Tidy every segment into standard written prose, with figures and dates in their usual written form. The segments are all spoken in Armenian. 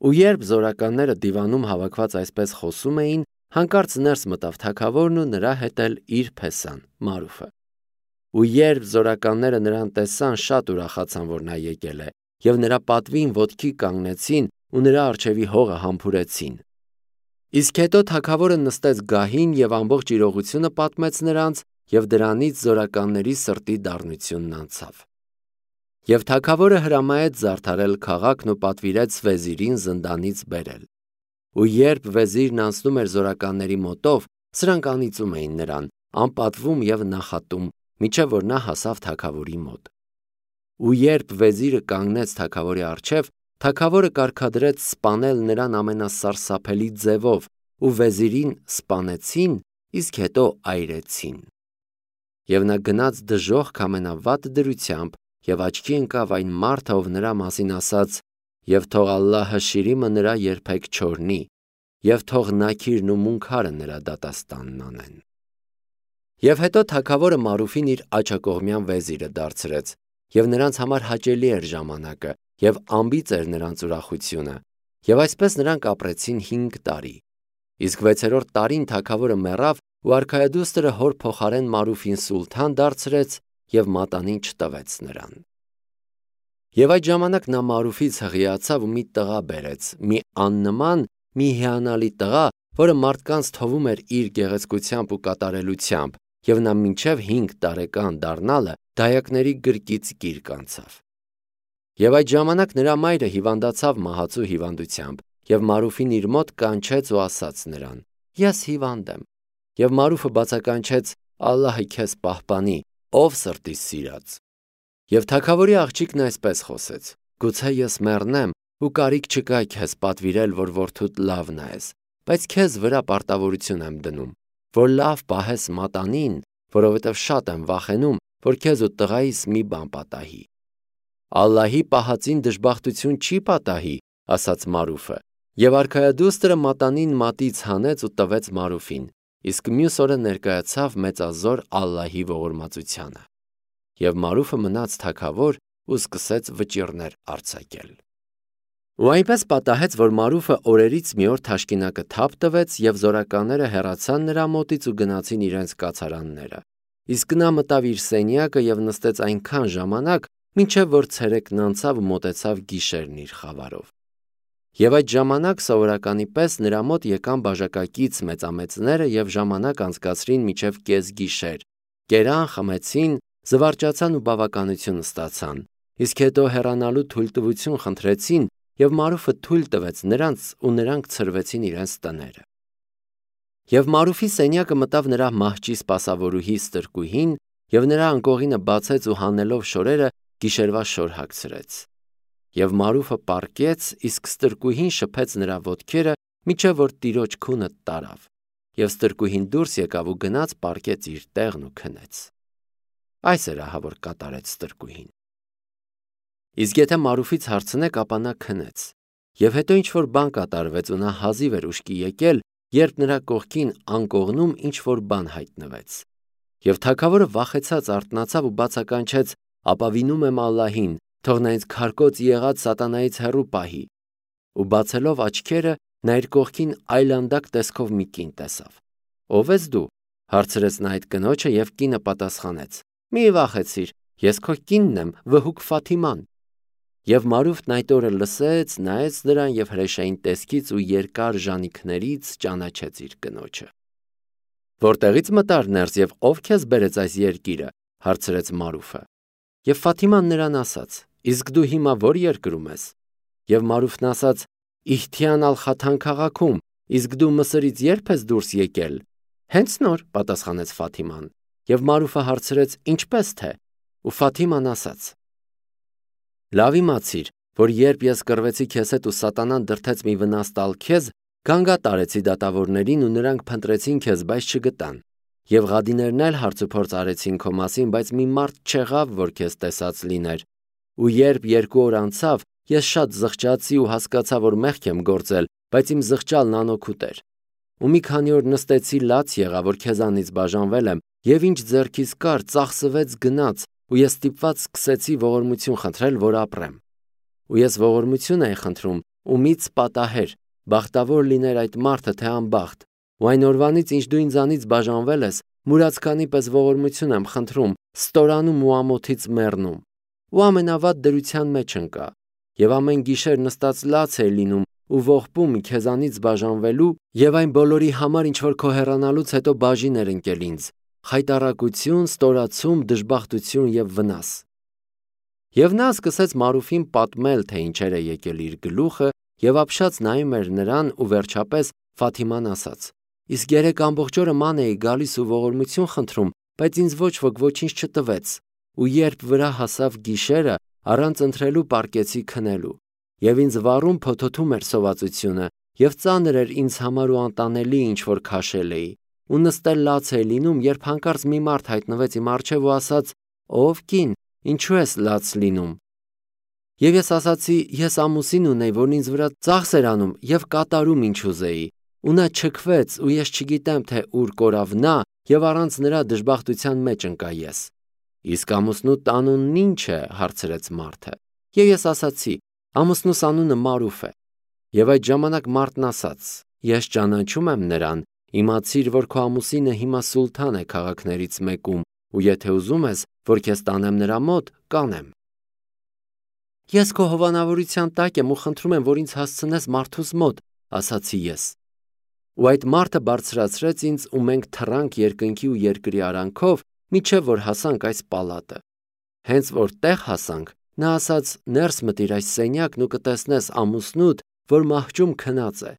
Ու երբ զորականները դիվանում հավաքված այսպես խոսում էին, հանկարծ ներս մտավ թագավորն ու նրա հետ էլ իր փեսան Մարուֆը։ Ու երբ զորականները նրան տեսան, շատ ուրախացան, որ նա եկել է, եւ նրա պատվին ոտքի կանգնեցին ու նրա առջևի հողը համբուրեցին։ Իսկ հետո թագավորը նստեց գահին եւ ամբողջ իրողությունը պատմեց նրանց, եւ դրանից զորականների սրտի դառնությունն անցավ։ Եվ թագավորը հրամայեց զարդարել քաղաքն ու պատվիրեց վեզիրին զնդանից բերել։ Ու երբ վեզիրն անցնում էր զորականների մոտով, սրանք անիծում էին նրան, անպատվում եւ նախատում, մինչև որ նա հասավ թագավորի մոտ։ Ու երբ վեզիրը կանգնեց թագավորի առջև, թագավորը կարգադրեց սպանել նրան ամենասարսափելի ձևով, ու վեզիրին սպանեցին, իսկ հետո այրեցին։ Եվ նա գնաց դժոխք ամենավատ դրությամբ եւ աչքի ընկավ այն մարդը, ով նրա մասին ասաց. «Եվ թող Ալլահը շիրիմը նրա երբեք չորնի, եւ թող նաքիրն ու մունքարը նրա դատաստանն անեն»։ Եվ հետո թագավորը Մարուֆին իր աջակողմյան վեզիրը դարձրեց, եւ նրանց համար հաճելի էր ժամանակը, եւ անբիծ էր նրանց ուրախությունը, եւ այսպես նրանք ապրեցին 5 տարի։ Իսկ 6-րդ տարին թագավորը մեռավ ու արքայադուստրը հոր փոխարեն Մարուֆին սուլթան դարձրեց եւ մատանին չտվեց նրան։ Եվ այդ ժամանակ նա Մարուֆից հղիացավ ու մի տղա բերեց, մի աննման, մի հիանալի տղա, որը մարդկանց թվում էր իր գեղեցկությամբ ու կատարելությամբ, եւ նա մինչև 5 տարեկան դառնալը դայակների գրկից գիրկ անցավ։ Եվ այդ ժամանակ նրա մայրը հիվանդացավ մահացու հիվանդությամբ, եւ Մարուֆին իր մոտ կանչեց ու ասաց նրան. «Ես հիվանդ եմ»։ Եվ Մարուֆը բացականչեց. «Ալլահը քեզ պահպանի, ով սրտիս սիրած»։ Եվ թագավորի աղջիկն այսպես խոսեց. «Գուցե ես մեռնեմ ու կարիք չկա քեզ պատվիրել, որ որդուդ լավ նայես, բայց քեզ վրա պարտավորություն եմ դնում, որ լավ պահես մատանին, որովհետև շատ եմ վախենում, որ քեզ ու տղայիս մի բան պատահի»։ «Ալլահի պահածին դժբախտություն չի պատահի», ասաց Մարուֆը, եւ արքայադուստրը մատանին մատից հանեց ու տվեց Մարուֆին, իսկ մյուս օրը ներկայացավ մեծազոր Ալլահի ողորմածությանը։ Եվ Մարուֆը մնաց թագավոր ու սկսեց վճիռներ արձակել։ Ու այնպես պատահեց, որ Մարուֆը օրերից մի օր թաշկինակը թափ տվեց, եւ զորականները հեռացան նրա մոտից ու գնացին իրենց կացարանները։ Իսկ նա մտավ իր սենյակը եւ նստեց այնքան ժամանակ, մինչև որ ցերեկն անցավ ու մոտեցավ գիշերն իր խավարով։ Եվ այդ ժամանակ սովորականի պես նրա մոտ եկան բաժակակից մեծամեծները եւ ժամանակ անցկացրին մինչև կեսգիշեր, կերան, խմեցին, զվարճացան ու բավականություն ստացան, իսկ հետո հեռանալու թույլտվություն խնդրեցին, եւ Մարուֆը թույլ տվեց նրանց ու նրանք ցրվեցին իրենց տները։ Եվ Մարուֆի սենյակը մտավ նրա մահճի սպասավորուհի ստրկուհին, եւ նրա անկողինը բացեց ու հանելով շորերը գիշերվա շոր հագցրեց։ Եվ Մարուֆը պառկեց, իսկ ստրկուհին շփեց նրա ոտքերը, մինչև որ տիրոջ քունը տարավ, եւ ստրկուհին դուրս եկավ ու գնաց պառկեց իր տեղն ու քնեց։ Այս էր ահա որ կատարեց ստրկուհին։ Իսկ եթե Մարուֆից հարցնեք, ապա նա քնեց։ Եվ հետո ինչ-որ բան կատարվեց ու նա հազիվ էր ուշքի եկել, երբ նրա կողքին անկողնում ինչ-որ բան հայտնվեց։ Եվ թագավորը վախեցած արթնացավ ու բացականչեց. «Ապավինում եմ Ալլահին, թող նա ինձ քարկոծ եղած սատանայից հեռու պահի»։ Ու բացելով աչքերը, նա իր կողքին այլանդակ տեսքով մի կին տեսավ։ «Ո՞վ ես դու»։ հարցրեց նա այդ կնոջը, եւ կինը պատասխանեց. «Մի վախեցիր, ես քո կինն եմ, վհուկ Ֆաթիման»։ Եվ Մարուֆն այդ օրը լսեց, նայեց նրան եւ հրեշային տեսքից ու երկար ժանիքներից ճանաչեց իր կնոջը։ «Որտեղից մտար ներս եւ ով քեզ բերեց այս երկիրը»։ հարցրեց Մարուֆը։ Եվ Ֆաթիման նրան ասաց. «Իսկ դու հիմա ո՞ր երկրում ես»։ Եվ Մարուֆն ասաց. «Իհթիան ալ-Խաթան քաղաքում, իսկ դու Մսրից երբ ես դուրս եկել»։ «Հենց նոր», պատասխանեց Ֆաթիման։ Եվ Մարուֆը հարցրեց. «Ինչպես թե»։ Ու Ֆաթիման ասաց. «Լավ իմացիր, որ երբ ես կռվեցի քեզ հետ ու սատանան դրդեց մի վնաս տալ քեզ, գանգատ արեցի դատավորներին ու նրանք փնտրեցին քեզ, բայց չգտան։ Եվ ղադիներն էլ հարցուփորձ արեցին քո մասին, բայց մի մարդ չեղավ, որ քեզ տեսած լիներ։ Ու երբ 2 օր անցավ, ես շատ զղջացի ու հասկացա, որ մեղք եմ գործել, բայց իմ զղջալն անօգուտ էր։ Ու մի քանի օր նստեցի, լաց եղա, որ քեզանից բաժանվել եմ, եւ ինչ ձեռքիս կար, ծախսվեց գնաց, ու ես ստիպված սկսեցի ողորմություն խնդրել, որ ապրեմ։ Ու ես ողորմություն էի խնդրում, ումից պատահեր, բախտավոր լիներ այդ մարդը, թե անբախտ, ու այն օրվանից, ինչ դու ինձանից բաժանվել ես, մուրացկանի պես ողորմություն եմ խնդրում, ստորանում ու ամոթից մեռնում։ Ու ամենավատ դրության մեջ ընկա, եւ ամեն գիշեր նստած լաց էր լինում ու ողբում քեզանից բաժանվելու եւ այն բոլորի համար, ինչ որ քո հեռանալուց հետո բաժին էր ընկել ինձ, խայտառակություն, ստորացում, դժբախտություն եւ վնաս։ Եվ նա սկսեց Մարուֆին պատմել, թե ինչեր է եկել իր գլուխը, եւ ապշած նայում էր նրան ու վերջապես Ֆաթիման ասաց. Իսկ երեք ամբողջ օրը ման էի գալիս ու ողորմություն խնդրում, բայց ինձ ոչ ոք ոչինչ չտվեց, ու երբ վրա հասավ գիշերը, առանց ընթրելու պառկեցի քնելու, եւ ինձ վառում փոթոթում էր սովածությունը, եւ ծանր էր ինձ համար ու անտանելի ինչ որ քաշել էի, ու նստել լաց էի լինում, երբ հանկարծ մի մարդ հայտնվեց իմ առջև ու ասաց. Ով կին, ինչու ես լաց լինում։ Եվ ես ասացի, ես ամուսին ունեի, որն ինձ վրա ծախս էր անում եւ կատարում ինչ ուզեի, ու նա չքվեց, ու ես չգիտեմ, թե ուր կորավ նա, եւ առանց նրա դժբախտության մեջ ընկա ես։ Իսկ ամուսնուդ անունն ինչ է, հարցրեց մարդը։ Եվ ես ասացի, ամուսնուս անունը Մարուֆ է։ Եվ այդ ժամանակ մարդն ասաց. Ես ճանաչում եմ նրան, իմացիր, որ քո ամուսինը հիմա սուլթան է քաղաքներից մեկում, ու եթե ուզում ես, որ քեզ տանեմ նրա մոտ, կանեմ։ Ես քո հովանավորության տակ եմ ու խնդրում եմ, որ ինձ հասցնես մարդուս մոտ, ասացի ես։ Ու այդ մարդը բարձրացրեց ինձ, ու մենք թռանք երկնքի ու երկրի արանքով, մինչև որ հասանք այս պալատը։ Հենց որ տեղ հասանք, նա ասաց. ներս մտիր այս սենյակն ու կտեսնես ամուսնուդ, որ մահճում քնած է։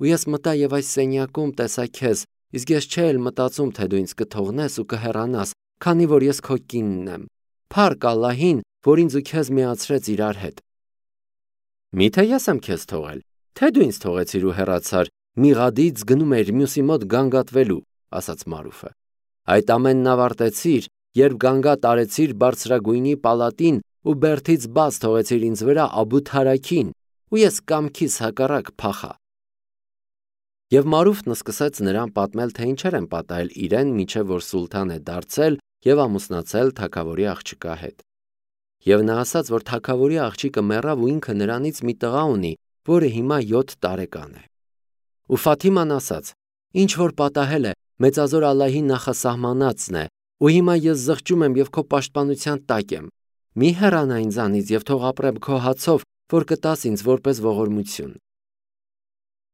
Ու ես մտա եւ այս սենյակում տեսա քեզ, իսկ ես չէի մտածում, թե դու ինձ կթողնես ու կհեռանաս, քանի որ ես քո կինն եմ։ Փառք Ալլահին, որ ինձ ու քեզ միացրեց իրար հետ։ Միթե ես եմ քեզ թողել, թե դու ինձ թողեցիր ու հեռացար, միղադից գնում էր մյուսի մոտ գանգատվելու, ասաց Մարուֆը։ Այդ ամենն ավարտեցիր, երբ գանգատ արեցիր բարձրագույնի պալատին ու բերդից բաց թողեցիր ինձ վրա Աբու Թարաքին, ու ես կամքիս հակառակ փախա։ Եվ Մարուֆն սկսեց նրան պատմել, թե ինչեր են պատահել իրեն, մինչև որ սուլթան է դարձել եւ ամուսնացել թագավորի աղջկա հետ։ Եվ նա ասաց, որ թագավորի աղջիկը մեռավ ու ինքը նրանից մի տղա ունի, որը հիմա 7 տարեկան է։ Ու Ֆաթիման ասաց. ինչ որ պատահել է, մեծազոր Ալլահի նախասահմանածն է, ու հիմա ես զղջում եմ եւ քո պաշտպանության տակ եմ։ Մի հեռանա ինձանից եւ թող ապրեմ քո հացով, որ կտաս ինձ որպես ողորմություն։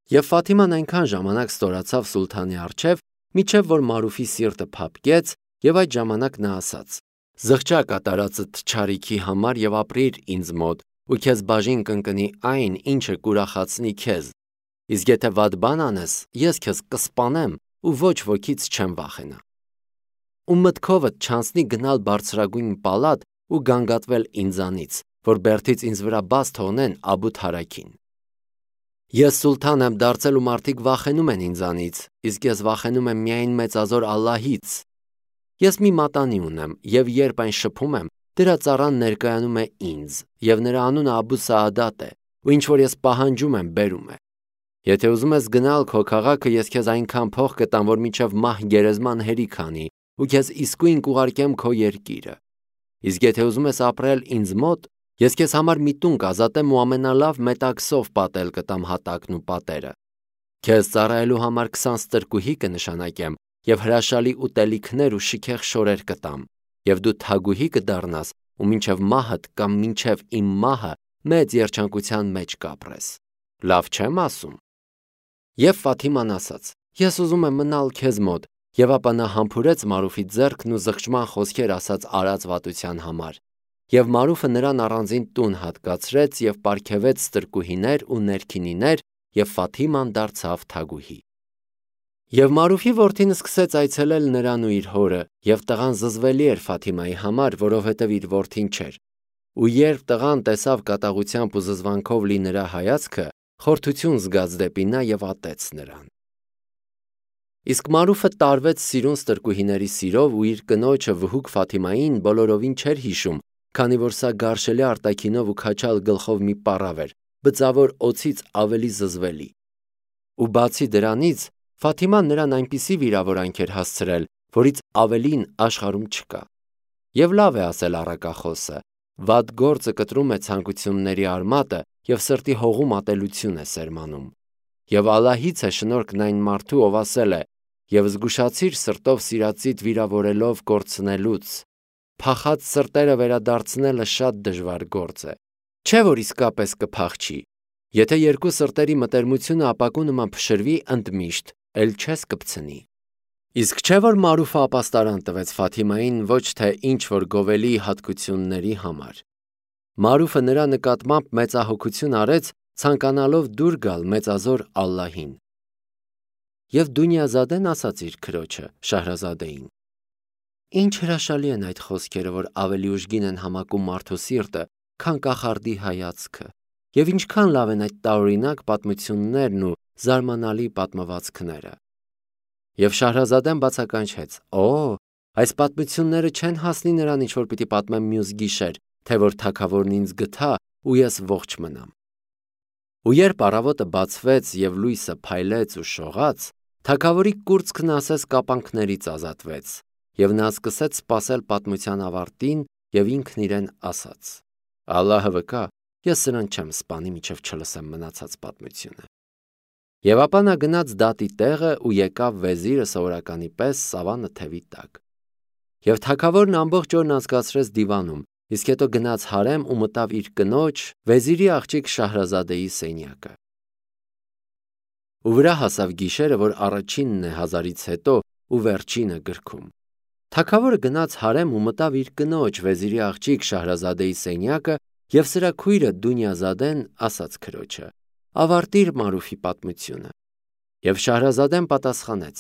Եվ Ֆաթիման այնքան ժամանակ ստորացավ սուլթանի առջև, մինչև որ Մարուֆի սիրտը փափկեց, եւ այդ ժամանակ նա ասաց. զղջա կատարածդ չարիքի համար եւ ապրիր ինձ մոտ, ու քեզ բաժին կընկնի այն, ինչը կուրախացնի քեզ։ Իսկ եթե վատ բան անես, ես քեզ կսպանեմ ու ոչ ոքից չեմ վախենա։ Ու մտքովդ չանցնի գնալ բարձրագույն պալատ ու գանգատվել ինձանից, որ բերդից ինձ վրա բաց թողնեն Աբու Թարաքին։ Ես սուլթան եմ դարձել ու մարդիկ վախենում են ինձանից, իսկ ես վախենում եմ միայն մեծազոր Ալլահից։ Ես մի մատանի ունեմ, եւ երբ այն շփում եմ, դրա ծառան ներկայանում է ինձ, եւ նրա անունը Աբու Սաադատ է, ու ինչ որ ես պահանջում եմ, բերում է։ Եթե ուզում ես գնալ քո քաղաքը, ես քեզ այնքան փող կտամ, որ մինչև մահ գերեզման հերիք անի, ու քեզ իսկույն կուղարկեմ քո երկիրը։ Իսկ եթե ուզում ես ապրել ինձ մոտ, ես քեզ համար մի տուն կազատեմ ու ամենալավ մետաքսով պատել կտամ հատակն ու պատերը։ Քեզ ծառայելու համար 20 ստրկուհի կնշանակեմ եւ հրաշալի ուտելիքներ ու շքեղ շորեր կտամ, եւ դու թագուհի կդառնաս ու մինչև մահդ կամ մինչև իմ մահը մեծ երջանկության մեջ կապրես։ Լավ չեմ ասում։ Եվ Ֆաթիման ասաց. ես ուզում եմ մնալ քեզ մոտ, եւ ապա նա համբուրեց Մարուֆի ձեռքն ու զղջման խոսքեր ասաց արած վատության համար։ Եվ Մարուֆը նրան առանձին տուն հատկացրեց եւ պարգևեց ստրկուհիներ ու ներքինիներ, եւ Ֆաթիման դարձավ թագուհի։ Եվ Մարուֆի որդին սկսեց այցելել նրան ու իր հորը, եւ տղան զզվելի էր Ֆաթիմայի համար, որովհետեւ իր որդին չէր։ Ու երբ տղան տեսավ կատաղությամբ ու զզվանքով լի նրա հայացքը, խորթություն զգաց դեպի նա եւ ատեց նրան։ Իսկ Մարուֆը տարվեց սիրուն ստրկուհիների սիրով ու իր կնոջը վհուկ Ֆաթիմային բոլորովին չէր հիշում, քանի որ սա գարշելի արտաքինով ու քաչալ գլխով մի պառավ էր, բծավոր օձից ավելի զզվելի։ Ու բացի դրանից, Ֆաթիման նրան այնպիսի վիրավորանք էր հասցրել, որից ավելին աշխարհում չկա։ Եվ լավ է ասել առակախոսը. վատ գործը կտրում է ցանկությունների արմատը և սրտի հողում ատելություն է սերմանում։ Եվ Ալլահից է շնորհքն այն մարդու, ով ասել է. «Եվ զգուշացիր սրտով սիրածիդ վիրավորելով կորցնելուց, փախած սրտերը վերադարձնելը շատ դժվար գործ է, չէ՞ որ իսկապես կփախչի։ Եթե երկու սրտերի մտերմությունը ապակու նման փշրվի ընդմիշտ, էլ չես կպցնի»։ Իսկ չէ՞ որ Մարուֆը ապաստարան տվեց Ֆաթիմային ոչ թե ինչ-որ գովելի հատկությունների համար։ Մարուֆը նրա նկատմամբ մեծահոգություն արեց, ցանկանալով դուր գալ մեծազոր Ալլահին։ Եվ Դունյազադեն ասաց իր քրոջը Շահրազադեին. «Ինչ հրաշալի են այդ խոսքերը, որ ավելի ուժգին են համակում մարդու սիրտը, քան կախարդի հայացքը, և ինչքան լավ են այդ տարօրինակ պատմություններն ու զարմանալի պատմվածքները»։ Եվ Շահրազադեն բացականչեց. «Օ, այս պատմությունները չեն հասնի նրան, ինչ որ պիտի պատմեմ մյուս գիշեր, թե որ թագավորն ինձ գթա ու ես ողջ մնամ»։ Ու երբ առավոտը բացվեց և լույսը փայլեց ու շողաց, թագավորի կուրծքն ասես կապանքներից ազատվեց, և նա սկսեց սպասել պատմության ավարտին և ինքն իրեն ասաց. «Ալլահը վկա, ես սրան չեմ սպանի, մինչև չլսեմ մնացած պատմությունը»։ Եվ ապա նա գնաց դատի տեղը ու եկավ վեզիրը սովորականի պես սավանը թևի տակ։ Եվ թագավորն ամբողջ օրն անցկացրեց դիվանում, իսկ հետո գնաց հարեմ ու մտավ իր կնոջ՝ վեզիրի աղջիկ Շահրազադեի սենյակը։ Ու վրա հասավ գիշերը, որ առաջինն է հազարից հետո ու վերջինը գրքում։ Թագավորը գնաց հարեմ ու մտավ իր կնոջ՝ վեզիրի աղջիկ Շահրազադեի սենյակը, և սրա քույրը Դունյազադեն ասաց քրոջը. «Ավարտիր Մարուֆի պատմությունը»։ Եվ Շահրազադեն պատասխանեց.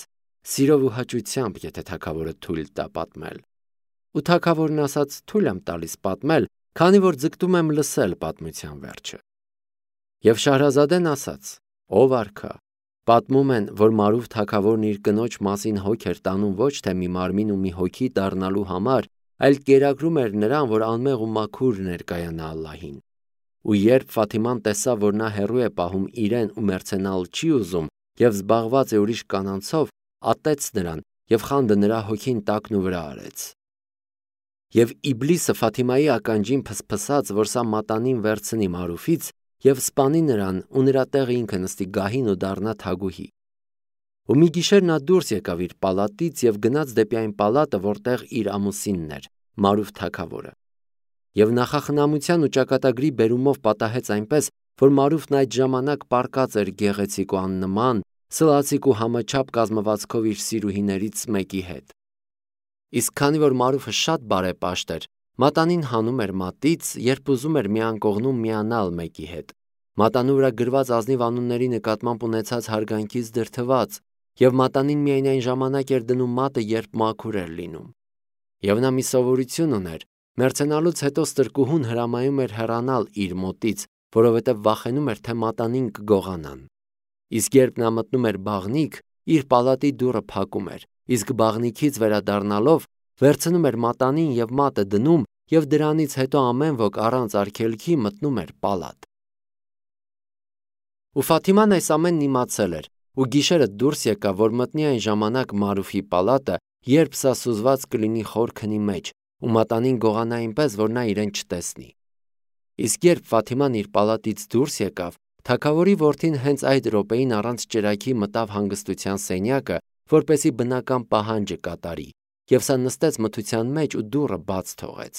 «Սիրով ու հաճությամբ, եթե թագավորը թույլ տա պատմել»։ Ու թագավորն ասաց. «Թույլ եմ տալիս պատմել, քանի որ ձգտում եմ լսել պատմության վերջը»։ Եվ Շահրազադեն ասաց. «Ով արքա, պատմում են, որ Մարուֆ թագավորն իր կնոջ մասին հոգ էր տանում ոչ թե մի մարմին ու մի հոգի դառնալու համար, այլ կերակրում էր նրան, որ անմեղ ու մաքուր ներկայանա Ալլահին։ Ու երբ Ֆաթիման տեսավ, որ նա հեռու է պահում իրեն ու մեռցենալ չի ուզում և զբաղված է ուրիշ կանանցով, ատեց նրան և խանդը նրա հոգին տակնուվրա արեց։ Եվ Իբլիսը Ֆաթիմայի ականջին փսփսաց, որ սա մատանին վերցնի Մարուֆից և սպանի նրան ու նրա տեղը ինքը նստի գահին ու դառնա թագուհի։ Ու մի գիշեր նա դուրս եկավ իր պալատից և գնաց դեպի այն պալատը, որտեղ իր ամուսինն էր, Մարուֆ թագավորը։ Եվ նախախնամության ու ճակատագրի բերումով պատահեց այնպես, որ Մարուֆն այդ ժամանակ պառկած էր գեղեցիկ ու աննման, սլացիկ ու համաչափ կազմվածքով իր սիրուհիներից մեկի հետ։ Իսկ քանի որ Մարուֆը շատ բարեպաշտ էր, մատանին հանում էր մատից, երբ ուզում էր մի անկողնում միանալ մեկի հետ, մատանու վրա գրված ազնիվ անունների նկատմամբ ունեցած հարգանքից դրդված, և մատանին միայն այն ժամանակ էր դնում մատը, երբ մաքուր էր լինում։ Եվ նա մի սովորություն ուներ. մեռցենալուց հետո ստրկուհուն հրամայում էր հեռանալ իր մոտից, որովհետև վախենում էր, թե մատանին կգողանան։ Իսկ երբ նա մտնում էր բաղնիք, իր պալատի դուռը փակում էր, իսկ բաղնիքից վերադառնալով վերցնում էր մատանին և մատը դնում, և դրանից հետո ամեն ոք առանց արգելքի մտնում էր պալատ։ Ու Ֆաթիման այս ամենն իմացել էր, ու գիշերը դուրս եկավ, որ մտնի այն ժամանակ Մարուֆի պալատը, երբ սա սուզված կլինի խոր քնի մեջ, ու մատանին գողանա այնպես, որ նա իրեն չտեսնի։ Իսկ երբ Ֆաթիման իր պալատից դուրս եկավ, թագավորի որդին հենց այդ րոպեին առանց ճրագի մտավ հանգստության սենյակը, որպեսզի բնական պահանջը կատարի, և սա նստեց մթության մեջ ու դուռը բաց թողեց։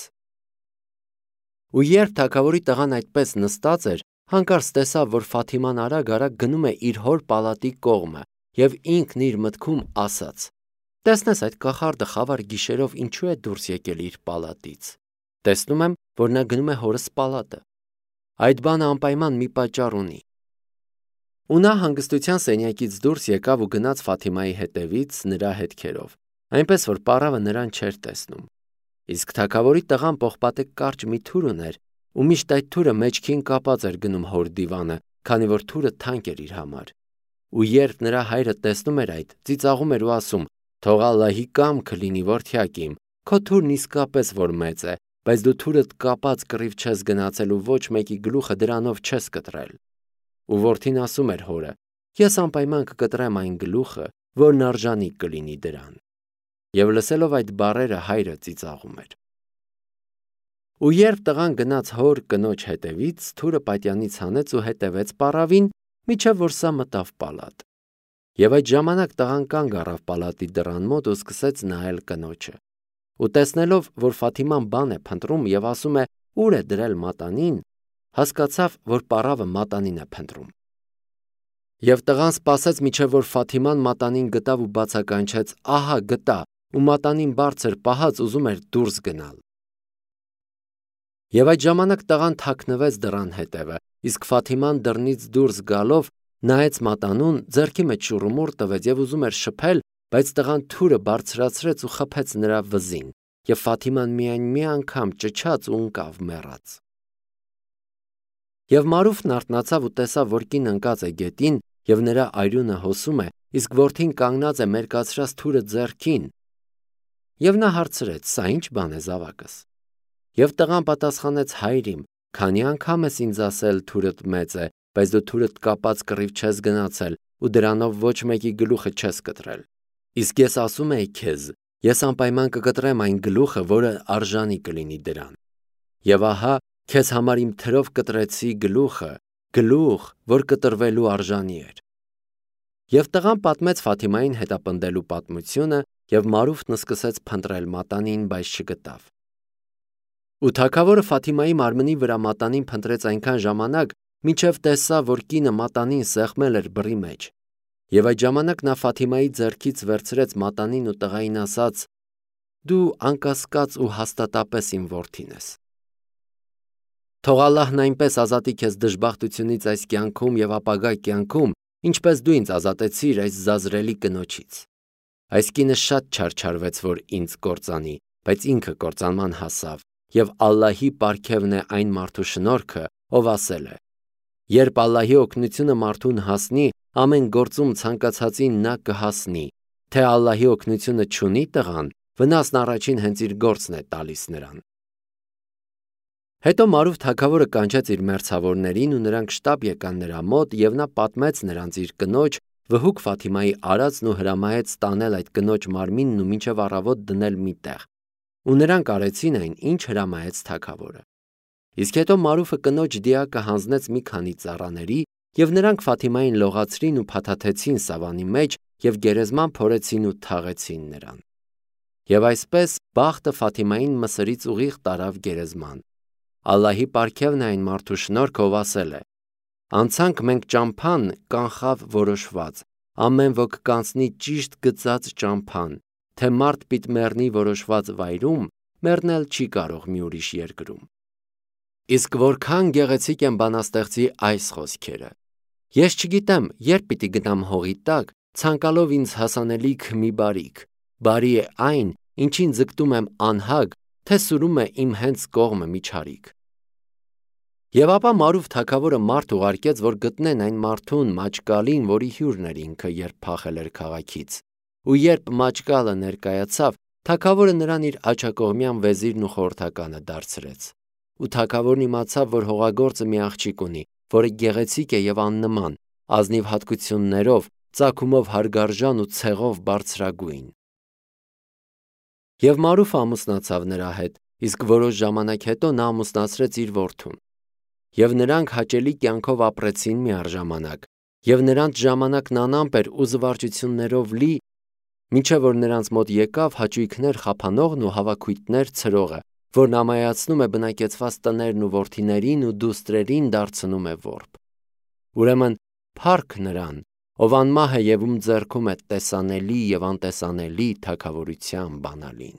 Ու երբ թագավորի տղան այդպես նստած էր, հանկարծ տեսավ, որ Ֆաթիման արագ-արագ գնում է իր հոր պալատի կողմը, և ինքն իր մտքում ասաց. «Տեսնես այդ կախարդը խավար գիշերով ինչու է դուրս եկել իր պալատից։ Տեսնում եմ, որ նա գնում է հորս պալատը։ Այդ բանը անպայման մի պատճառ ունի»։ Ու նա հանգստության սենյակից դուրս եկավ ու գնաց Ֆաթիմայի հետևից նրա հետքերով, այնպես որ պառավը նրան չէր տեսնում։ Իսկ թագավորի տղան պողպատե կարճ մի թուր ուներ, ու միշտ այդ թուրը մեջքին կապած էր գնում հոր դիվանը, քանի որ թուրը թանկ էր իր համար։ Ու երբ նրա հայրը տեսնում էր այդ, ծիծաղում էր ու ասում. «Թող Ալլահի կամքը լինի, որդյակ իմ, քո թուրն իսկապես որ մեծ է, բայց դու թուրդ կապած կռիվ չես գնացել ու ոչ մեկի գլուխը դրանով չես կտրել»։ Ու որդին ասում էր հորը. «Ես անպայման կկտրեմ այն գլուխը, որն արժանի կլինի դրան»։ Եվ լսելով այդ բառերը հայրը ծիծաղում էր։ Ու երբ տղան գնաց հոր կնոջ հետևից, թուրը պատյանից հանեց ու հետևեց պառավին, մինչև որ սա մտավ պալատ։ Եվ այդ ժամանակ տղան կանգ առավ պալատի դռան մոտ ու սկսեց նայել կնոջը։ Ու տեսնելով, որ Ֆաթիման բան է փնտրում եւ ասում է՝ ուր է դրել մատանին, հասկացավ, որ պառավը մատանին է փնտրում։ Եվ տղան սպասեց, մինչև որ Ֆաթիման մատանին գտավ ու բացականչեց. ահա գտա, ու մատանին բարձր պահած ուզում էր դուրս գնալ։ Եվ այդ ժամանակ տղան թաքնվեց դռան հետևը, իսկ Ֆաթիման դռնից դուրս գալով նայեց մատանուն, ձեռքի մեջ շուռումուռ տվեց եւ ուզում էր շփել, բայց տղան թուրը բարձրացրեց ու խփեց նրա վզին, եւ Ֆաթիման միայն մի անգամ ճչաց ու ընկավ մեռած։ Եվ Մարուֆն արթնացավ ու տեսավ, որ կին ընկած է գետին եւ նրա այրունը հոսում է, իսկ որդին կանգնած է մերկացրած թուրը ձեռքին։ Եվ նա հարցրեց. «Սա ի՞նչ բան է զավակս»։ Եվ տղան պատասխանեց. «Հայր իմ, քանի անգամ ես ինձ ասել թուրդ մեծ է, բայց դու թուրդ կապած կռիվ չես գնացել ու դրանով ոչ մեկի գլուխը չես կտրել։ Իսկ ես ասում էի քեզ, ես անպայման կկտրեմ այն գլուխը, որը արժանի կլինի դրան։ Եվ ահա, քեզ համար իմ թրով կտրեցի գլուխը, գլուխ, որ կտրվելու արժանի էր»։ Եվ տղան պատմեց Ֆաթիմային հետապնդելու պատմությունը, եւ Մարուֆն սկսեց փնտրել մատանին, բայց չգտավ։ Ու թագավորը Ֆաթիմայի մարմնի վրա մատանին փնտրեց այնքան ժամանակ, մինչև տեսավ, որ կինը մատանին սեղմել էր բռի մեջ։ Եվ այդ ժամանակ նա Ֆաթիմայի ձեռքից վերցրեց մատանին ու տղային ասաց. «Դու անկասկած ու հաստատապես իմ որդին ես։ Թող Ալլահն այնպես ազատի քեզ դժբախտությունից այս կյանքում եւ ապագա կյանքում, ինչպես դու ինձ ազատեցիր այս զազրելի կնոջից։ Այս կինը շատ չարչարվեց, որ ինձ կործանի, բայց ինքը կործանման հասավ, եւ Ալլահի պարգևն է այն մարդու շնորհքը, ով ասել է. երբ Ալլահի օգնությունը մարդուն հասնի, ամեն գործում ցանկացածին նա կհասնի, թե Ալլահի օգնությունը չունի տղան, վնասն առաջին հենց իր գործն է տալիս նրան»։ Հետո Մարուֆ թագավորը կանչեց իր մերձավորներին ու նրանք շտապ եկան նրա մոտ եւ նա պատմեց նրանց իր կնոջ վհուկ Ֆաթիմայի արածն ու հրամայեց տանել այդ կնոջ մարմինն ու մինչև առավոտ դնել մի տեղ։ Ու նրանք արեցին այն, ինչ հրամայեց թագավորը։ Իսկ հետո Մարուֆը կնոջ դիակը հանձնեց մի քանի ծառաների եւ նրանք Ֆաթիմային լողացրին ու փաթաթեցին սավանի մեջ եւ գերեզման փորեցին ու թաղեցին նրան։ Եվ այսպես բախտը Ֆաթիմային Մսրից ուղիղ տարավ գերեզման։ Ալլահի պարգևն է այն մարդու շնորհքը, ով ասել է. «Անցանք մենք ճամփան կանխավ որոշված, ամեն ոք կանցնի ճիշտ գծած ճամփան, թե մարդ պիտ մեռնի որոշված վայրում, մեռնել չի կարող մի ուրիշ երկրում»։ Իսկ որքան գեղեցիկ են բանաստեղծի այս խոսքերը։ Ես չգիտեմ, երբ պիտի գնամ հողի տակ, ցանկալով ինձ հասանելիք մի բարիք, բարի է այն, ինչին ձգտում եմ անհագ, թե սուրում է իմ հենց կողմը միջարիք։ Եվ ապա Մարուֆ թագավորը մարդ ուղարկեց, որ գտնեն այն մարդուն Մաճկալին, որի հյուրն էր ինքը, երբ փախել էր քաղաքից։ Ու երբ Մաճկալը ներկայացավ, թագավորը նրան իր աջակողմյան վեզիրն ու խորհրդականը դարձրեց։ Ու թագավորն իմացավ, որ հողագործը մի աղջիկ ունի, որը գեղեցիկ է եւ աննման, ազնիվ հատկություններով, ծագումով հարգարժան ու ցեղով բարձրագույն։ Եվ Մարուֆը ամուսնացավ նրա հետ, իսկ որոշ ժամանակ հետո նա ամուսնացրեց իր որդուն։ Եվ նրանք հաճելի կյանքով ապրեցին միառժամանակ, եւ նրանց ժամանակն անամպ էր ու զվարճություններով լի, մինչև որ նրանց մոտ եկավ հաճույքներ խափանողն ու հավաքույտներ ցրողը, որն ամայացնում է բնակեցված տներն ու որդիներին ու դուստրերին դարձնում է որբ։ Ուրեմն փառք նրան, ով անմահ է եւ ում ձեռքում է տեսանելի եւ անտեսանելի թագավորության բանալին։